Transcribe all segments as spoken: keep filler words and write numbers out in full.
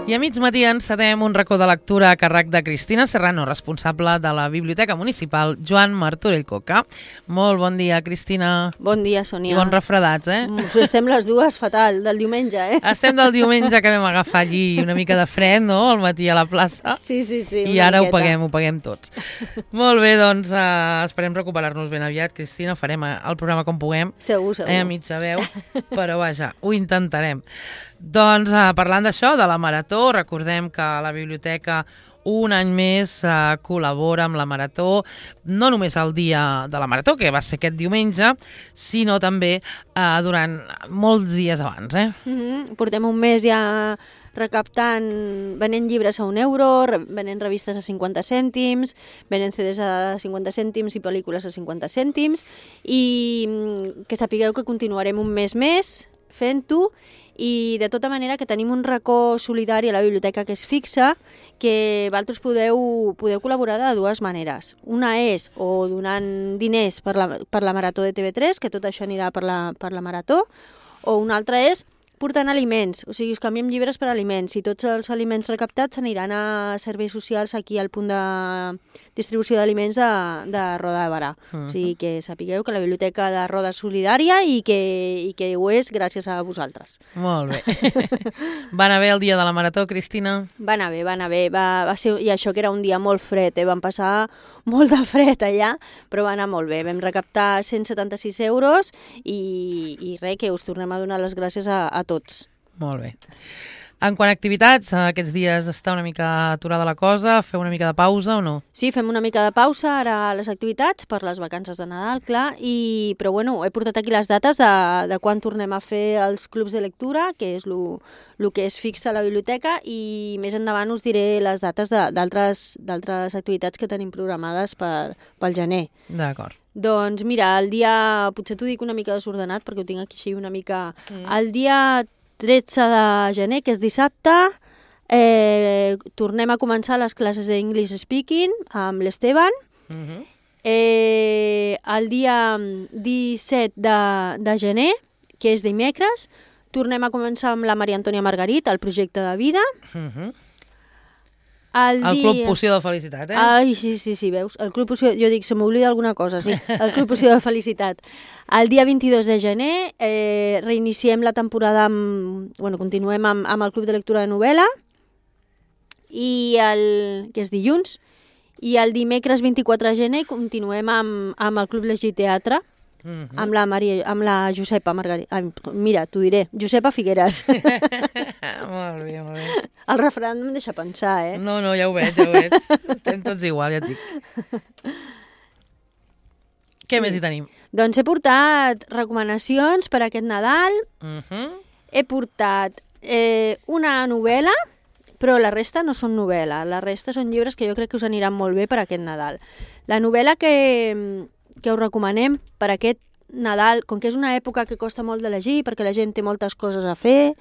I a mig matí encetem un racó de lectura a càrrec de Cristina Serrano, responsable de la Biblioteca Municipal Joan Martorell Coca. Molt bon dia, Cristina. Bon dia, Sònia. I bons refredats, eh? Estem les dues fatal, del diumenge, eh? Estem del diumenge que vam agafar allí una mica de fred, no?, al matí a la plaça. Sí, sí, sí. I ara miqueta. ho paguem, ho paguem tots. Molt bé, doncs uh, esperem recuperar-nos ben aviat, Cristina. Farem el programa com puguem. Segur, segur. Eh, a mitja veu, però vaja, ho intentarem. Doncs uh, parlant d'això, de la Marató, recordem que la biblioteca un any més uh, col·labora amb la Marató, no només el dia de la Marató, que va ser aquest diumenge, sinó també uh, durant molts dies abans. Eh? Mm-hmm. Portem un mes ja recaptant, venent llibres a un euro, re venent revistes a cinquanta cèntims, venent C Ds a cinquanta cèntims i pel·lícules a cinquanta cèntims, i que sapigueu que continuarem un mes més fent-ho, i de tota manera que tenim un racó solidari a la biblioteca que és fixa, que vosaltres podeu, podeu col·laborar de dues maneres. Una és o donant diners per la, per la Marató de T V tres, que tot això anirà per la, per la Marató, o una altra és portant aliments, o sigui, us canviem llibres per aliments, i tots els aliments recaptats aniran a serveis socials aquí al punt de distribució d'aliments de, de Roda de Barà. Uh-huh. O sigui, que sapigueu que la biblioteca de Roda és solidària i que, i que ho és gràcies a vosaltres. Molt bé. Va anar bé el dia de la Marató, Cristina? Va anar bé, va anar bé. Va, va ser, i això que era un dia molt fred, eh? Vam passar molt de fred allà, però va anar molt bé. Vam recaptar cent setanta-sis euros i, i res, que us tornem a donar les gràcies a, a tots. Molt bé. En quant a activitats, aquests dies està una mica aturada la cosa, feu una mica de pausa o no? Sí, fem una mica de pausa ara a les activitats per les vacances de Nadal, clar, i, però bueno, he portat aquí les dates de, de quan tornem a fer els clubs de lectura, que és el que és fixa a la biblioteca, i més endavant us diré les dates d'altres activitats que tenim programades per, pel gener. D'acord. Doncs mira, el dia, potser t'ho dic una mica desordenat perquè ho tinc aquí així una mica... Mm. El dia tretze de gener, que és dissabte, eh, tornem a començar les classes d'English Speaking amb l'Esteban. Mm-hmm. eh, el dia disset de, de gener, que és dimecres, tornem a començar amb la Maria Antònia Margarit, el projecte de vida. Mm-hmm. El, el dia... Club Poció de Felicitat, eh? Ai, sí, sí, sí, veus? El Club Poció, jo dic, se m'oblida alguna cosa, sí. El Club Poció de Felicitat. El dia vint-i-dos de gener eh, reiniciem la temporada amb... Bueno, continuem amb, amb el Club de Lectura de Novel·la, i el, que és dilluns, i el dimecres vint-i-quatre de gener continuem amb, amb el Club Llegir Teatre, mm-hmm. amb, la Maria, amb la Josepa Margarita. Mira, t'ho diré, Josepa Figueres. Molt bé, molt bé. El refrany no em deixa pensar, eh? No, no, ja ho veig, ja ho veig. Estem tots igual, ja et dic. Què sí. més hi tenim? Doncs he portat recomanacions per aquest Nadal. Uh-huh. He portat eh, una novel·la, però la resta no són novel·la. La resta són llibres que jo crec que us aniran molt bé per aquest Nadal. La novel·la que, que us recomanem per aquest Nadal, com que és una època que costa molt de llegir, perquè la gent té moltes coses a fer,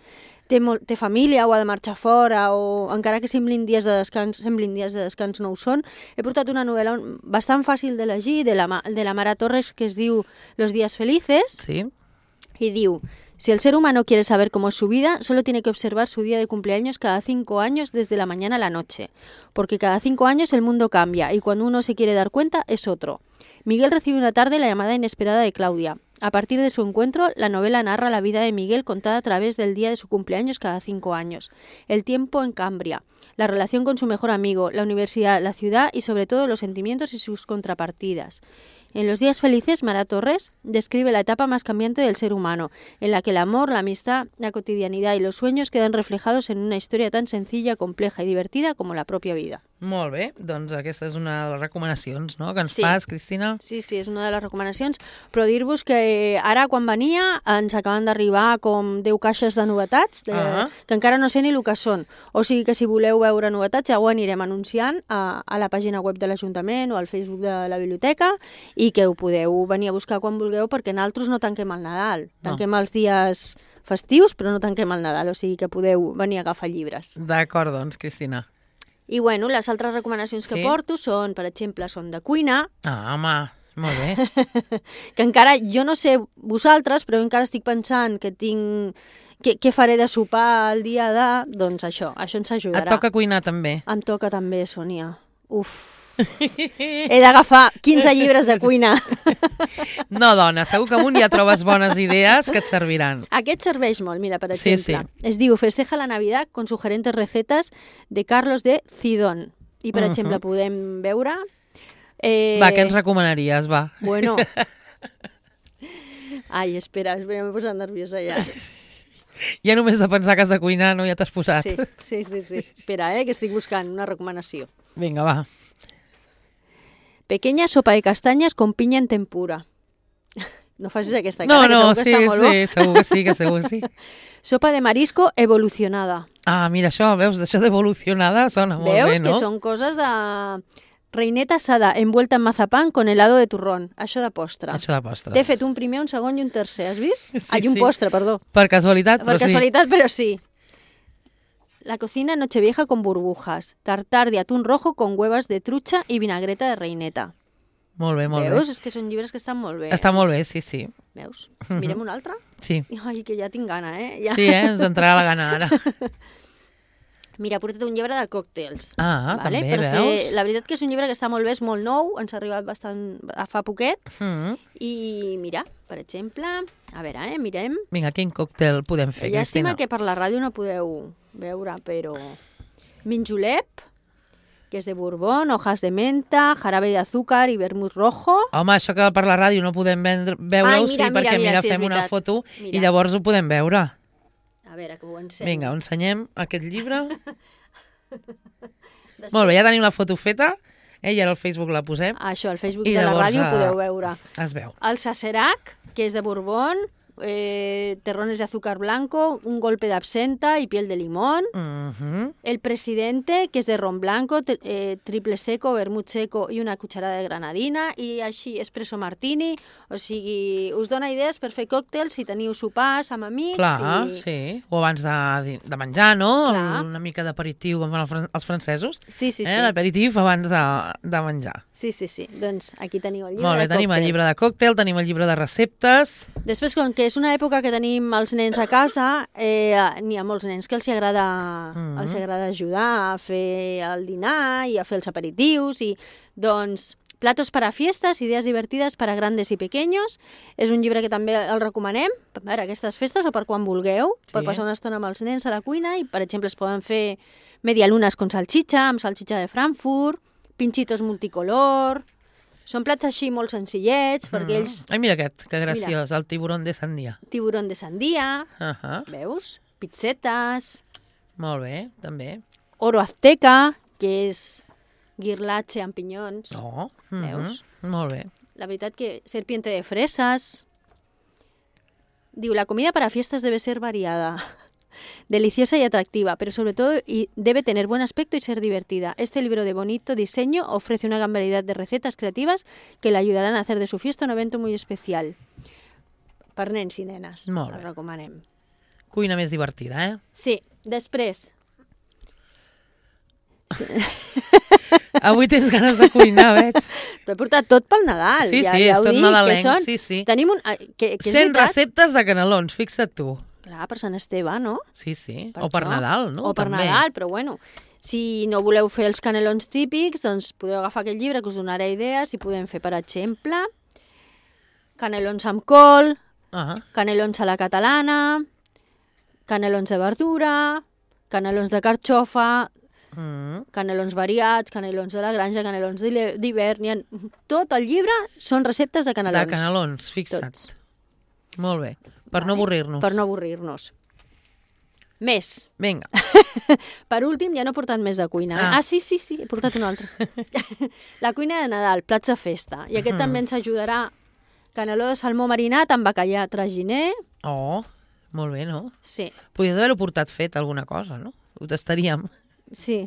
té, molt, té família o ha de marxar fora, o encara que semblin dies de descans, semblin dies de descans no ho són, he portat una novel·la bastant fàcil de llegir, de la, de la Mara Torres, que es diu Los días felices, sí. Y diu: si el ser humano quiere saber cómo es su vida, solo tiene que observar su día de cumpleaños cada cinco años desde la mañana a la noche, porque cada cinco años el mundo cambia y cuando uno se quiere dar cuenta es otro. Miguel recibe una tarde la llamada inesperada de Claudia. A partir de su encuentro, la novela narra la vida de Miguel contada a través del día de su cumpleaños cada cinco años, el tiempo en Cambria, la relación con su mejor amigo, la universidad, la ciudad y sobre todo los sentimientos y sus contrapartidas. En Los días felices, Mara Torres describe la etapa más cambiante del ser humano, en la que el amor, la amistad, la cotidianidad y los sueños quedan reflejados en una historia tan sencilla, compleja y divertida como la propia vida. Molt bé, doncs aquesta és una de les recomanacions, no?, que ens sí. fas, Cristina. Sí, sí, és una de les recomanacions, però dir-vos que ara quan venia ens acaben d'arribar com deu caixes de novetats, de, uh-huh. que encara no sé ni el que són, o sigui que si voleu veure novetats ja ho anirem anunciant a, a la pàgina web de l'Ajuntament o al Facebook de la biblioteca, i que ho podeu venir a buscar quan vulgueu, perquè nosaltres no tanquem el Nadal, tanquem no. els dies festius, però no tanquem el Nadal, o sigui que podeu venir a agafar llibres. D'acord, doncs, Cristina. I bueno, les altres recomanacions que sí? porto són, per exemple, són de cuina. Ah, home, molt bé. Que encara, jo no sé vosaltres, però encara estic pensant que tinc què, què faré de sopar el dia de... Doncs això, això ens ajudarà. Et toca cuinar també. Em toca també, Sònia. Uf. He d'agafar quinze llibres de cuina. No, dona, segur que amunt ja trobes bones idees que et serviran. Aquest serveix molt, mira, per Sí, exemple. sí. Es diu Festeja la Navidad con sugerentes recetas de Carlos de Cidón. I, per Mhm. exemple, podem veure... Eh... Va, què ens recomanaries, va? Bueno. Ai, espera, espera, m'he posat nerviosa ja. Ja només de pensar que has de cuinar, no? Ja t'has posat. Sí, sí, sí, sí. Espera, eh, que estic buscant una recomanació. Vinga, va. Pequeña sopa de castanyes con piña en tempura. No facis aquesta No, cara, que no, segur que sí, està molt bo. sí, segur que sí, que segur que sí. Sopa de marisco evolucionada. Ah, mira, això, veus, d'això d'evolucionada sona molt Veus bé, no? que són coses de... Reineta asada envuelta en mazapán con helado de turrón. Això de postre. Això de postres. T'he fet un primer, un segon i un tercer, has vist? Sí, Ai, un sí. postre, perdó. Per casualitat, Per però sí. casualitat, però sí. La cocina Nochevieja con burbujas. Tartar de atún rojo con huevas de trucha y vinagreta de reineta. Molt bé, molt Veus? bé. És que són llibres que estan molt bé. Està molt bé, sí, sí. Veus? Mirem un altre? Sí, Ai, que ja tinc gana, eh? Ja. sí, eh? Ens entrarà la gana ara. Mira, porta't un llibre de còctels. Ah, també, per veus? Fer... La veritat que és un llibre que està molt bé, és molt nou, ens ha arribat bastant a fa poquet. Mm. I mira, per exemple, a veure, eh, mirem. Vinga, quin còctel podem fer, Llàstima Cristina? que per la ràdio no podeu veure, però... Minjolep, que és de Borbón, hojas de menta, jarabe de azúcar i vermut rojo. Home, això que per la ràdio no podem vendre- veure-ho, Ai, sí, mira, mira, perquè mira, mira, sí, és fem una veritat. foto Mira. i llavors ho podem veure. A veure, que ho ensenyo. Vinga, ensenyem aquest llibre. Després... Molt bé, ja tenim la foto feta, eh? I ara al Facebook la posem. Això, al Facebook I de la llavors, ràdio ho eh, podeu veure. Es veu. El Sacerac, que és de Borbón, eh, terrones de azúcar blanco, un golpe de absenta y piel de limón. Mhm. El Presidente, que és de ron blanco, tri- eh, triple seco, vermut seco i una cucharada de granadina, i així espresso martini. O sigui, us dona idees per fer còctels si teniu sopars amb amics. Clar, i... sí. O abans de, de menjar, no? Clar. Una mica d'aperitiu, com fan el fran- els francesos. Sí, sí, sí. Eh? L'aperitiu abans de, de menjar. Sí, sí, sí. Doncs aquí teniu el llibre Molt bé, de tenim el còctel. llibre de còctel, tenim el llibre de receptes. Després, com que és una època que tenim els nens a casa, eh, n'hi ha molts nens que els hi agrada, Mhm. els hi agrada ajudar a fer el dinar i a fer els aperitius. I, doncs, Platos para fiestas, idees divertides per a grandes i pequeños. És un llibre que també el recomanem per a aquestes festes o per quan vulgueu, Sí. per passar una estona amb els nens a la cuina. I, per exemple, es poden fer medialunes con salchicha, amb salchicha de Frankfurt, pinchitos multicolor... Són plats així molt senzillets, perquè ells... Ai, mira aquest, que graciós, el tiburón de Sandia. Tiburón de sandía, Uh -huh. veus? Pizzetes, Molt bé, també. oro azteca, que és guirlatge amb pinyons. Oh, uh -huh. Veus? Molt bé. La veritat que serpiente de fresas. Diu, la comida para fiestas debe ser variada, deliciosa y atractiva, pero sobre todo y debe tener buen aspecto y ser divertida. Este libro de bonito diseño ofrece una gran variedad de recetas creativas que le ayudarán a hacer de su fiesta un evento muy especial. Per nens i nenes, Molt el bé. recomanem. Cuina més divertida, eh? Sí, després, Avui tens ganes de cuinar, veig. t'ho he portat tot pel Nadal. Sí, ja, sí, ja és ho tot dic, nadalenc, que són... sí, sí. Tenim un... ah, Que, que és cent veritat. receptes de canelons, fixa't tu. Clar, per Sant Esteve, no? Sí, sí. Per o per això. Nadal, no? O per També. Nadal, però bueno. Si no voleu fer els canelons típics, doncs podeu agafar aquest llibre que us donarà idees i podem fer, per exemple, canelons amb col, Ah, canelons a la catalana, canelons de verdura, canelons de carxofa, mm. canelons variats, canelons de la granja, canelons d'hile- d'hivern... n'hi ha- Tot el llibre són receptes de canelons. De canelons, fixa't. Tots. Molt bé. Per no avorrir-nos. Per no avorrir-nos. Més. Vinga. Per últim, ja no he portat més de cuina. Ah. Ah, ah sí, sí, sí, he portat un altre. La cuina de Nadal, plats de festa. I aquest també ens ajudarà. Caneló de salmó marinat amb bacallà traginer. Oh, molt bé, no? Sí, Podries haver-ho portat fet, alguna cosa, no? Ho tastaríem. sí.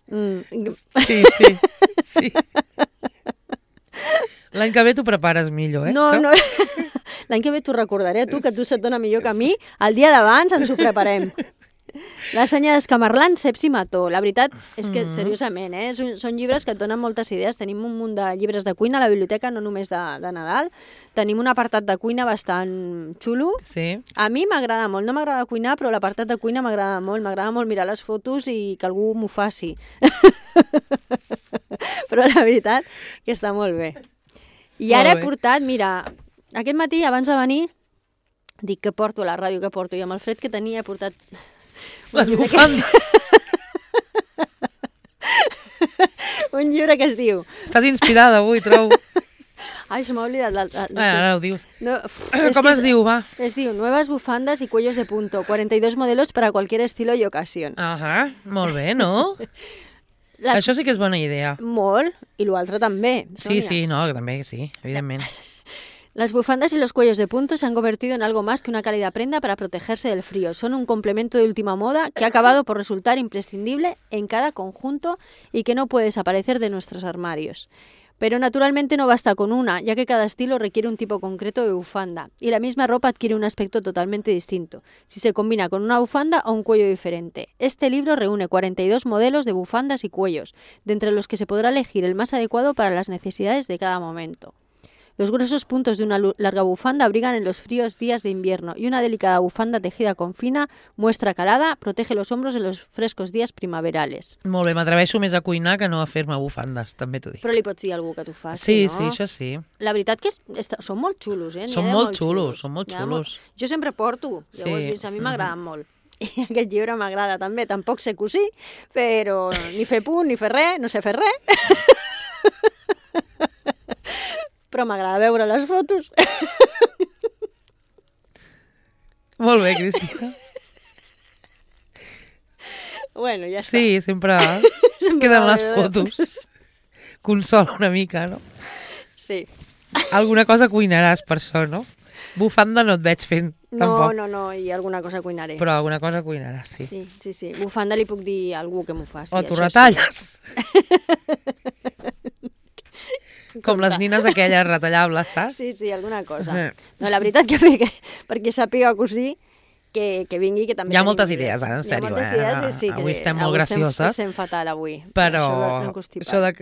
Mm. Sí, sí. sí. L'any que ve t'ho prepares millor, eh? No, això? no. L'any que ve t'ho recordaré, tu, que tu se't dona millor que a mi. El dia d'abans ens ho preparem. La senya d'Escamarlans, Ceps i Mató. La veritat és que, seriosament, eh? són, són llibres que et donen moltes idees. Tenim un munt de llibres de cuina a la biblioteca, no només de, de Nadal. Tenim un apartat de cuina bastant xulo. Sí. A mi m'agrada molt. No m'agrada cuinar, però l'apartat de cuina m'agrada molt. M'agrada molt mirar les fotos i que algú m'ho faci. Però la veritat que està molt bé. I ara he portat, mira, aquest matí, abans de venir, dic que porto a la ràdio, que porto, i amb el fred que tenia he portat... Les bufandes. Un llibre que es diu... Estàs inspirada avui, trobo. Ai, se m'ha oblidat. La, la, ah, ara ho dius. No, uf, Com es, es diu, va? Es diu Nuevas bufandas y cuellos de punto, cuarenta y dos modelos para cualquier estilo y ocasión. Ahà, molt bé, no? Les... Això sí que és bona idea. Molt, i l'altre també. Sí, Sonia. sí, no, també sí, evidentment. Las bufandas y los cuellos de punto se han convertido en algo más que una cálida prenda para protegerse del frío. Son un complemento de última moda que ha acabado por resultar imprescindible en cada conjunto y que no puede desaparecer de nuestros armarios. Pero naturalmente no basta con una, ya que cada estilo requiere un tipo concreto de bufanda, y la misma ropa adquiere un aspecto totalmente distinto, si se combina con una bufanda o un cuello diferente. Este libro reúne cuarenta y dos modelos de bufandas y cuellos, de entre los que se podrá elegir el más adecuado para las necesidades de cada momento. Los gruesos puntos de una larga bufanda abrigan en los fríos días de invierno y una delicada bufanda tejida con fina muestra calada protege los hombros en los frescos días primaverales. Molt bé, m'atreveixo més a cuinar que no a fer-me bufandes, també t'ho dic. Però li pots dir a algú que t'ho faci, sí, no? Sí, sí, això sí. La veritat que és, és, són molt xulos, eh? Són molt, molt xulos, xulos, són molt xulos. Molt... Jo sempre porto, ja sí. Ho has vist, a mi m'agraden mm-hmm. molt. I aquest llibre m'agrada també, tampoc sé cosir, però ni fer punt, ni fer res, no sé fer res. Però m'agrada veure les fotos. Molt bé, Cristina. Bueno, ja està. Sí, sempre, sempre queden les fotos. fotos. Consola una mica, no? Sí. Alguna cosa cuinaràs per això, no? Bufanda no et veig fent, no, tampoc. No, no, no, i alguna cosa cuinaré. Però alguna cosa cuinaràs, sí. Sí, sí, sí. Bufanda li puc dir a algú que m'ho faci. O t'ho retalles. Sí. Com les nines aquelles retallables, saps? Sí, sí, alguna cosa. No, la veritat que perquè, perquè sàpiga cosir, que, que vingui, que també... Hi ha moltes idees, ara, en sèrio. Hi ha moltes idees, eh? Sí, avui que, estem molt avui gracioses. Estem fatal, avui. Però això de,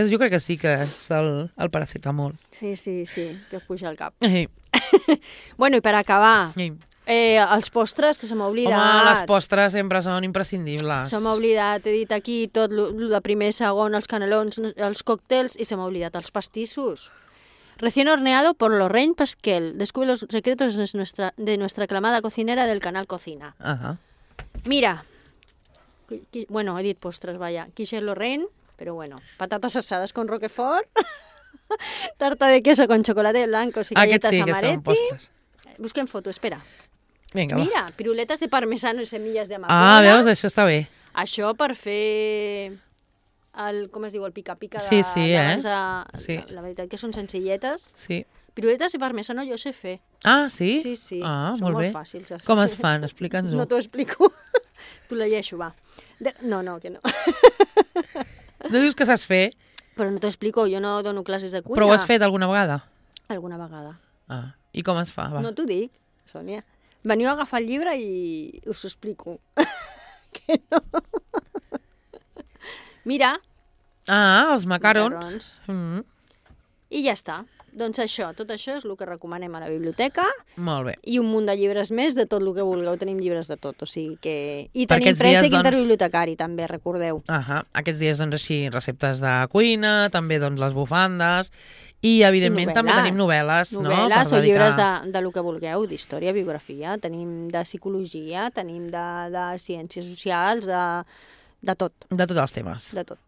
jo crec que sí que és el, el paracetamol. Sí, sí, sí, que us puja al cap. Sí. Bueno, i per acabar... Sí. Eh, els postres, que se m'ha oblidat. Home, les postres sempre són imprescindibles. Se m'ha oblidat, he dit aquí tot el de primer, segon, els canelons, els còctels, i se m'ha oblidat els pastissos. Recién horneado por Lorraine Pasquel. Descubre los secretos de nuestra, de nuestra aclamada cocinera del canal Cocina. Uh-huh. Mira, qui, bueno, he dit postres, vaya, quiche Lorraine, pero bueno, patatas asadas con roquefort, tarta de queso con chocolate blanco y galletas sí, amaretti. Busquem foto, espera. Vinga, Mira, va. piruletes de parmesano i semilles de amapola. Ah, veus? Això està bé. Això per fer el, com es diu, el pica-pica de, sí, sí, eh? de, sí. La, la veritat que són senzilletes. Sí. Piruletes de parmesano jo sé fer. Ah, sí? Sí, sí. Ah, són molt molt bé. fàcils. Com es fan? Explica'ns-ho. No t'ho explico. T'ho llegeixo, va. De... No, no, que no. No dius que saps fer? Però no t'ho explico, jo no dono classes de cuina. Però ho has fet alguna vegada? Alguna vegada. Ah, i com es fa? Va. No t'ho dic, Sònia. Veniu a agafar el llibre i us ho explico. Que no. Mira. Ah, els macarons. macarons. Mm. I ja està. Doncs això, tot això és el que recomanem a la biblioteca. Molt bé. I un munt de llibres més de tot el que vulgueu. Tenim llibres de tot, o sigui que... I Per tenim aquests préstec dies, doncs... interbibliotecari, també, recordeu. Ahà. Aquests dies, doncs, així, receptes de cuina, també, doncs, les bufandes, i, evidentment, I també tenim novel·les, no? Novel·les o dedicar... llibres de, de lo que vulgueu, d'història, biografia, tenim de psicologia, tenim de, de ciències socials, de, de tot. De tots els temes. De tot.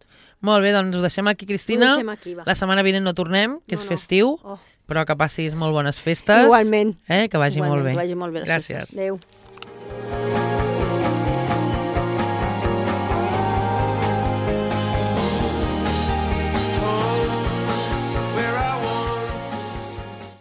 Molt bé, doncs ho deixem aquí, Cristina. Ho deixem aquí, va. La setmana vinent no tornem, que no, és no. festiu, oh. però que passis molt bones festes. Igualment. Eh? Que vagi Igualment, molt bé. Que vagi molt bé les Gràcies. festes. Adéu.